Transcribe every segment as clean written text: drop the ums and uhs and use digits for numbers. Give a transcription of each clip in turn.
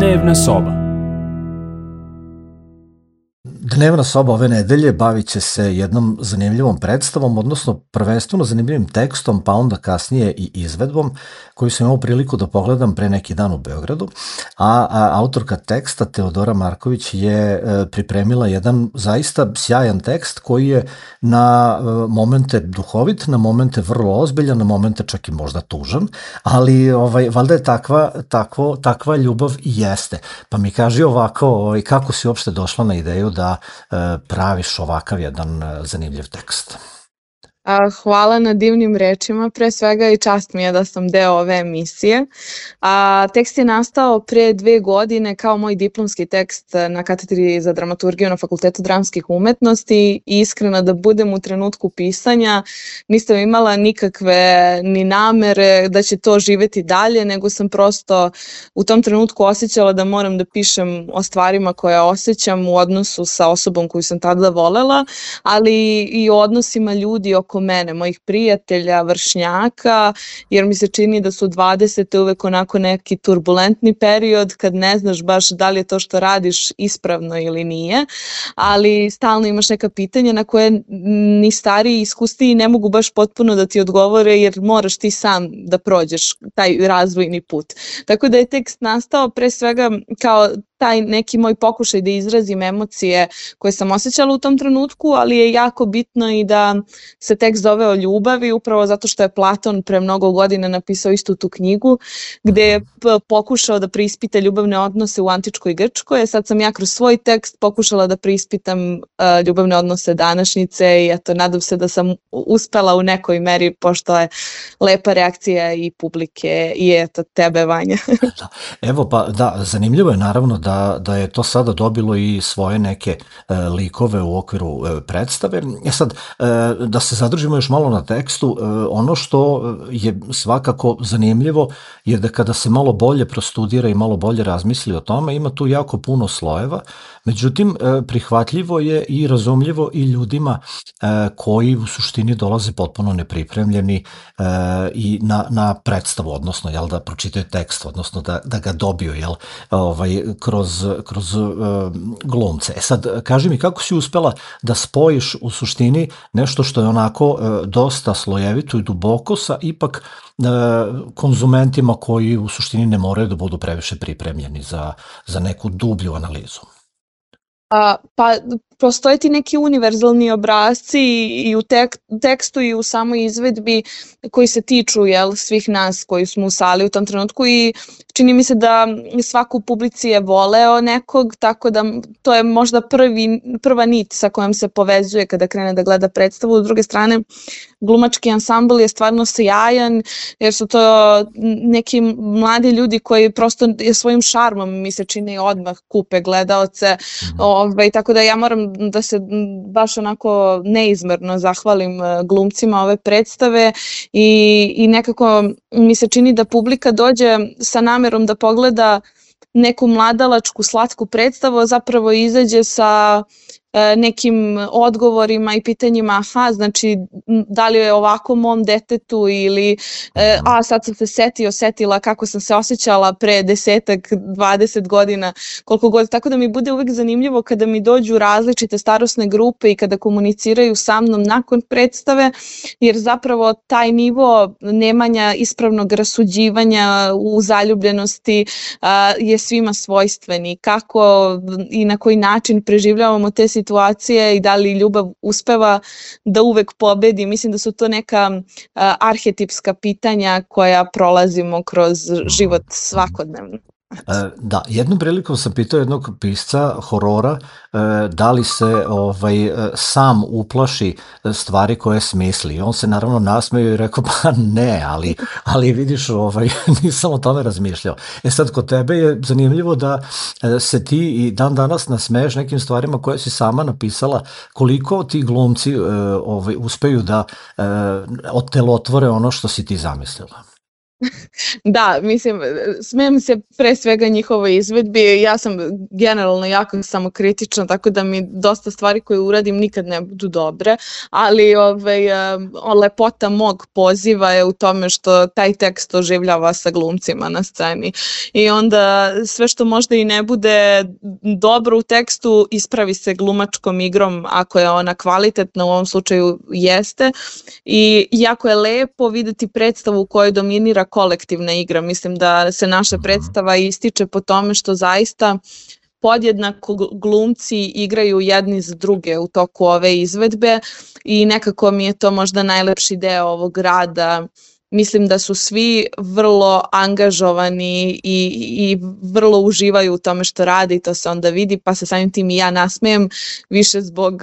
Dnevna soba. Dnevna soba ove nedelje bavit će se jednom zanimljivom predstavom, odnosno prvenstveno zanimljivim tekstom, pa onda kasnije i izvedbom, koju sam imao priliku da pogledam pre neki dan u Beogradu, a autorka teksta Teodora Marković je pripremila jedan zaista sjajan tekst koji je na momente duhovit, na momente vrlo ozbiljan, na momente čak i možda tužan, ali valjda je takva ljubav i jeste. Pa mi kaži ovako, kako si uopšte došla na ideju da praviš ovakav jedan zanimljiv tekst? Hvala na divnim rečima, pre svega i čast mi je da sam deo ove emisije. Tekst je nastao pre 2 godine kao moj diplomski tekst na katedri za dramaturgiju na Fakultetu dramskih umetnosti i iskreno da budem u trenutku pisanja nisam imala nikakve ni namere da će to živeti dalje, nego sam prosto u tom trenutku osjećala da moram da pišem o stvarima koje osjećam u odnosu sa osobom koju sam tada volela, ali i o odnosima ljudi oko mene, mojih prijatelja, vršnjaka, jer mi se čini da su 20. uvek onako neki turbulentni period kad ne znaš baš da li je to što radiš ispravno ili nije, ali stalno imaš neka pitanja na koje ni stariji iskusniji ne mogu baš potpuno da ti odgovore, jer moraš ti sam da prođeš taj razvojni put. Tako da je tekst nastao pre svega kao taj neki moj pokušaj da izrazim emocije koje sam osjećala u tom trenutku, ali je jako bitno i da se tekst zove o ljubavi, upravo zato što je Platon pre mnogo godina napisao istu tu knjigu, gde je pokušao da preispita ljubavne odnose u antičkoj Grčkoj. Sad sam ja kroz svoj tekst pokušala da preispitam ljubavne odnose današnjice i eto, nadam se da sam uspela u nekoj meri, pošto je lepa reakcija i publike i eto, tebe, Vanja. Evo, pa da, zanimljivo je naravno da je to sada dobilo i svoje neke likove u okviru predstave. Sad, da se zadržimo još malo na tekstu, ono što je svakako zanimljivo je da kada se malo bolje prostudira i malo bolje razmisli o tome, ima tu jako puno slojeva, međutim, prihvatljivo je i razumljivo i ljudima koji u suštini dolaze potpuno nepripremljeni i na predstavu, odnosno da pročitaju tekst, odnosno da ga dobiju kroz glumce. Sad, kaži mi, kako si uspela da spojiš u suštini nešto što je onako dosta slojevito i duboko sa ipak konzumentima koji u suštini ne moraju da budu previše pripremljeni za neku dublju analizu? Pa postoje ti neki univerzalni obrasci i u tekstu i u samoj izvedbi koji se tiču svih nas koji smo u sali u tom trenutku i čini mi se da svako u publici je voleo nekog, tako da to je možda prva nit sa kojom se povezuje kada krene da gleda predstavu. S druge strane, glumački ansambl je stvarno sjajan, jer su to neki mladi ljudi koji prosto svojim šarmom, mi se čini, odmah kupe gledaoce, tako da ja moram da se baš onako neizmerno zahvalim glumcima ove predstave i nekako mi se čini da publika dođe sa namerom da pogleda neku mladalačku slatku predstavu, a zapravo izađe sa nekim odgovorima i pitanjima, znači da li je ovako mom detetu ili sad sam se setila kako sam se osjećala pre 10-20 godina, koliko god, tako da mi bude uvek zanimljivo kada mi dođu različite starosne grupe i kada komuniciraju sa mnom nakon predstave, jer zapravo taj nivo nemanja ispravnog rasuđivanja u zaljubljenosti je svima svojstveni. Kako i na koji način preživljavamo te situacije i da li ljubav uspeva da uvek pobedi. Mislim da su to neka arhetipska pitanja koja prolazimo kroz život svakodnevno. Da, jednom prilikom sam pitao jednog pisca horora da li se sam uplaši stvari koje smisli. On se naravno nasmeo i rekao pa ne, ali vidiš, nisam o tome razmišljao. Sad, kod tebe je zanimljivo da se ti i dan danas nasmeješ nekim stvarima koje si sama napisala. Koliko ti glumci uspeju da otelotvore ono što si ti zamislila? Da, mislim, smijem se pre svega njihovoj izvedbi. Ja sam generalno jako samokritična, tako da mi dosta stvari koje uradim nikad ne budu dobre, ali lepota mog poziva je u tome što taj tekst oživljava sa glumcima na sceni. I onda sve što možda i ne bude dobro u tekstu ispravi se glumačkom igrom ako je ona kvalitetna, u ovom slučaju jeste. I jako je lepo videti predstavu u kojoj dominira kolektivna igra. Mislim da se naša predstava ističe po tome što zaista podjednako glumci igraju jedni za druge u toku ove izvedbe i nekako mi je to možda najlepši deo ovog rada. Mislim da su svi vrlo angažovani i vrlo uživaju u tome što rade i to se onda vidi, pa se samim tim i ja nasmejem više zbog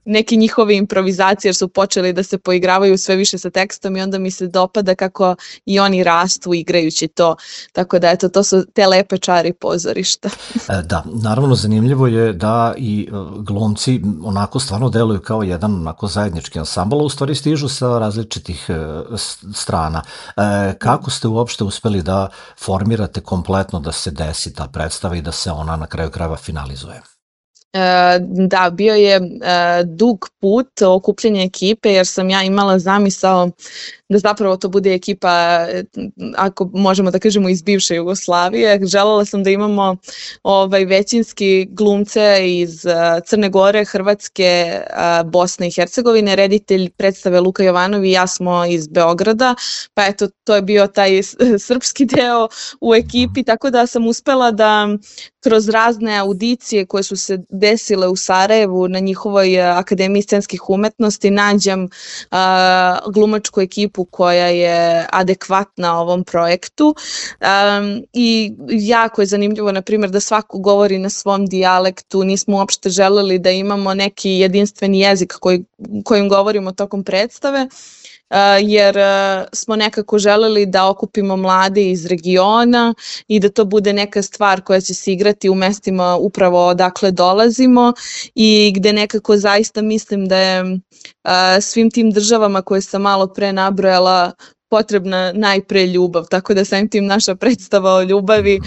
neke njihove improvizacije jer su počeli da se poigravaju sve više sa tekstom i onda mi se dopada kako i oni rastu igrajući to. Tako da eto, to su te lepe čari pozorišta. Da, naravno zanimljivo je da i glumci onako stvarno deluju kao jedan onako zajednički ansambl, a u stvari stižu sa različitih strana. Kako ste uopšte uspeli da formirate kompletno da se desi ta predstava i da se ona na kraju krajeva finalizuje? Da, bio je dug put okupljanja ekipe jer sam ja imala zamisao da zapravo to bude ekipa, ako možemo da kažemo, iz bivše Jugoslavije. Želela sam da imamo većinski glumce iz Crne Gore, Hrvatske, Bosne i Hercegovine. Reditelj predstave Luka Jovanov i ja smo iz Beograda, pa eto, to je bio taj srpski deo u ekipi, tako da sam uspela da kroz razne audicije koje su se desile u Sarajevu na njihovoj Akademiji scenskih umetnosti nađem glumačku ekipu koja je adekvatna ovom projektu i jako je zanimljivo, na primjer, da svako govori na svom dijalektu. Nismo uopšte želeli da imamo neki jedinstveni jezik kojim govorimo tokom predstave, jer smo nekako želeli da okupimo mlade iz regiona i da to bude neka stvar koja će se igrati u mestima upravo odakle dolazimo i gde nekako zaista mislim da je svim tim državama koje sam malo pre nabrojala potrebna najpre ljubav, tako da samim tim naša predstava o ljubavi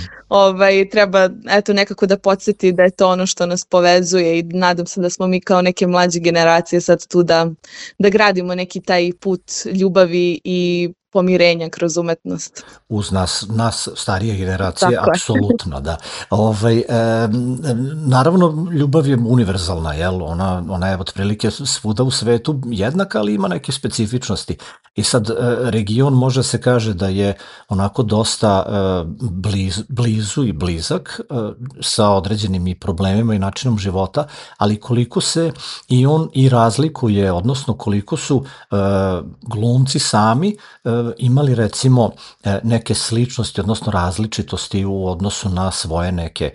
treba eto nekako da podsjeti da je to ono što nas povezuje i nadam se da smo mi kao neke mlađe generacije sad tu da gradimo neki taj put ljubavi i pomirenja kroz umetnost. Uz nas starije generacije, apsolutno, da. Naravno, ljubav je univerzalna, jel? Ona je otprilike svuda u svetu jednaka, ali ima neke specifičnosti. I sad, region može se kaže da je onako dosta blizu i blizak sa određenim i problemima i načinom života, ali koliko se i on i razlikuje, odnosno koliko su glumci sami imali recimo neke sličnosti, odnosno različitosti u odnosu na svoje neke,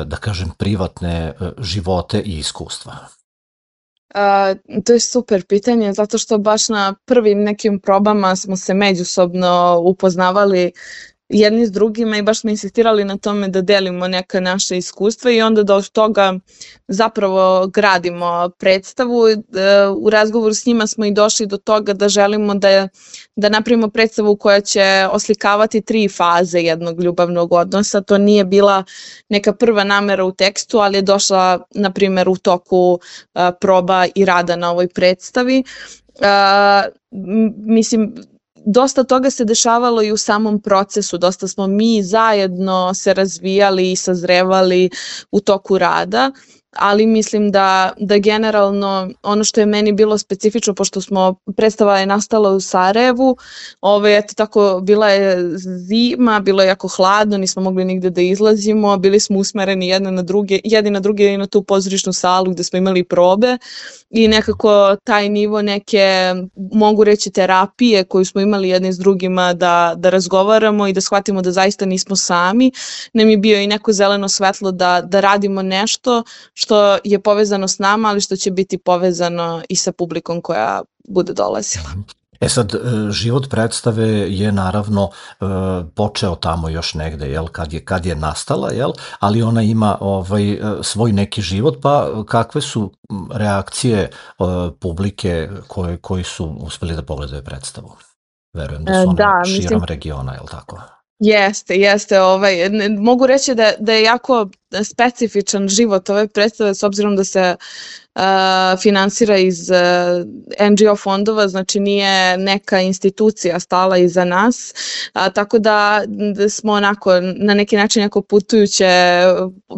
da kažem, privatne živote i iskustva? To je super pitanje, zato što baš na prvim nekim probama smo se međusobno upoznavali jedni s drugima i baš smo insistirali na tome da delimo neka naša iskustva i onda da od toga zapravo gradimo predstavu. U razgovoru s njima smo i došli do toga da želimo da napravimo predstavu koja će oslikavati 3 faze jednog ljubavnog odnosa. To nije bila neka prva namera u tekstu, ali je došla, na primjer, u toku proba i rada na ovoj predstavi. Mislim, dosta toga se dešavalo i u samom procesu, dosta smo mi zajedno se razvijali i sazrevali u toku rada, ali mislim da generalno ono što je meni bilo specifično, pošto predstava je nastala u Sarajevu, eto tako, bila je zima, bilo je jako hladno, nismo mogli nigde da izlazimo, bili smo usmereni jedni na druge i na tu pozorišnu salu gde smo imali probe i nekako taj nivo neke, mogu reći, terapije koju smo imali jedni s drugima da razgovaramo i da shvatimo da zaista nismo sami, nam je bio i neko zeleno svetlo da radimo nešto što je povezano s nama, ali što će biti povezano i sa publikom koja bude dolazila. Sad, život predstave je naravno počeo tamo još negde, jel, kad je nastala, jel, ali ona ima svoj neki život, pa kakve su reakcije publike koji su uspeli da pogledaju predstavu? Verujem da su one Da, mislim, širom regiona, je li tako? jeste, mogu reći da je jako specifičan život ove predstave s obzirom da se finansira iz NGO fondova, znači nije neka institucija stala iza nas, tako da smo onako na neki način jako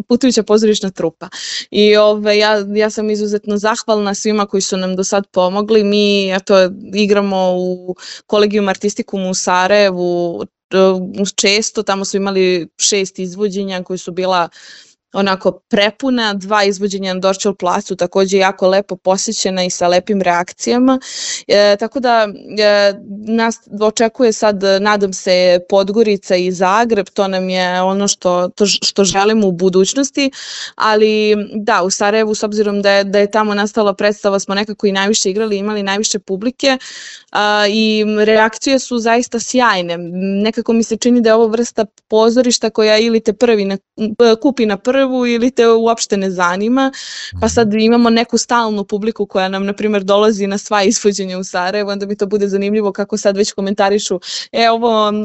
putujuća pozorišna trupa. I ja sam izuzetno zahvalna svima koji su nam do sad pomogli. Mi igramo u Collegium Artisticum u Sarajevu često, tamo smo imali 6 izvođenja koji su bila onako prepuna, 2 izvođenja na Dorćol placu, takođe jako lepo posjećena i sa lepim reakcijama. Tako da nas očekuje sad, nadam se, Podgorica i Zagreb, to nam je ono što želimo u budućnosti, ali da, u Sarajevu, s obzirom da je tamo nastala predstava, smo nekako i najviše igrali, imali najviše publike i reakcije su zaista sjajne. Nekako mi se čini da je ovo vrsta pozorišta koja ili te kupi na prvu ili te uopšte ne zanima, pa sad imamo neku stalnu publiku koja nam, na primjer, dolazi na sva izvođenja u Sarajevo, onda mi to bude zanimljivo kako sad već komentarišu,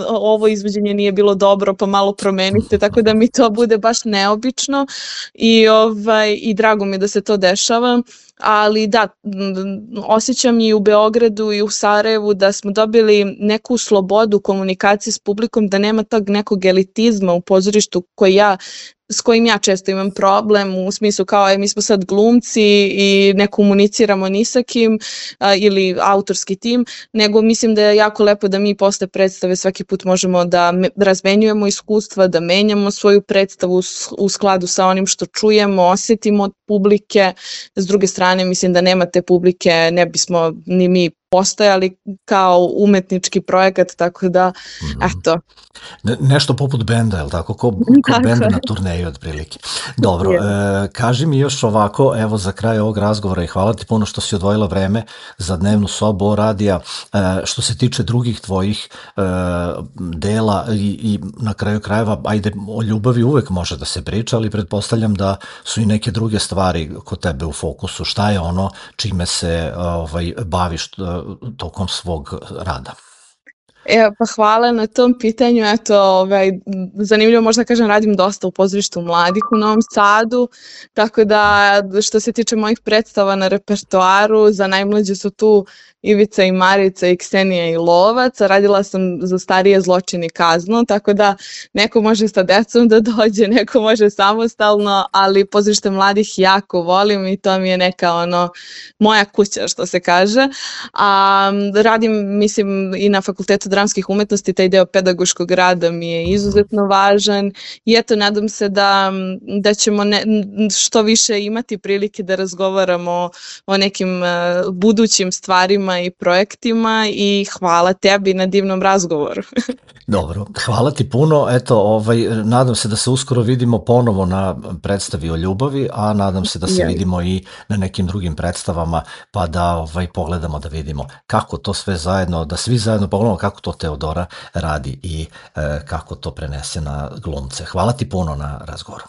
ovo izvođenje nije bilo dobro, pa malo promenite, tako da mi to bude baš neobično i drago mi je da se to dešava. Ali da, osjećam i u Beogradu i u Sarajevu da smo dobili neku slobodu komunikacije s publikom, da nema tog nekog elitizma u pozorištu s kojim ja često imam problem, u smislu kao mi smo sad glumci i ne komuniciramo ni sa kim ili autorski tim, nego mislim da je jako lepo da mi posle predstave svaki put možemo da razmenjujemo iskustva, da menjamo svoju predstavu u skladu sa onim što čujemo, osetimo od publike. S druge strane, mislim da nema te publike, ne bismo ni mi postojali kao umetnički projekat, tako da, eto. Nešto poput benda, je li tako? Ko benda na turneju, otprilike. Dobro, kaži mi još ovako, evo za kraj ovog razgovora i hvala ti puno što si odvojila vreme za Dnevnu sobu radija. Što se tiče drugih tvojih dela i na kraju krajeva, ajde, o ljubavi uvek može da se priča, ali pretpostavljam da su i neke druge stvari kod tebe u fokusu. Šta je ono čime se baviš tokom svog rada? Pa hvala na tom pitanju, zanimljivo možda kažem, radim dosta u pozorištu mladih u Novom Sadu, tako da što se tiče mojih predstava na repertoaru, za najmlađe su tu Ivica i Marica i Ksenija i Lovac, radila sam za starije Zločin i kaznu, tako da neko može sa decom da dođe, neko može samostalno, ali pozorište mladih jako volim i to mi je neka moja kuća, što se kaže. Radim, mislim, i na Fakultetu dramskih umetnosti, taj deo pedagoškog rada mi je izuzetno važan i eto, nadam se da ćemo što više imati prilike da razgovaramo o nekim budućim stvarima i projektima i hvala tebi na divnom razgovoru. Dobro, hvala ti puno. Eto, nadam se da se uskoro vidimo ponovo na predstavi o ljubavi, a nadam se da se vidimo i na nekim drugim predstavama, pa da pogledamo, da vidimo kako to sve zajedno, da svi zajedno pogledamo kako to Teodora radi i kako to prenese na glumce. Hvala ti puno na razgovoru.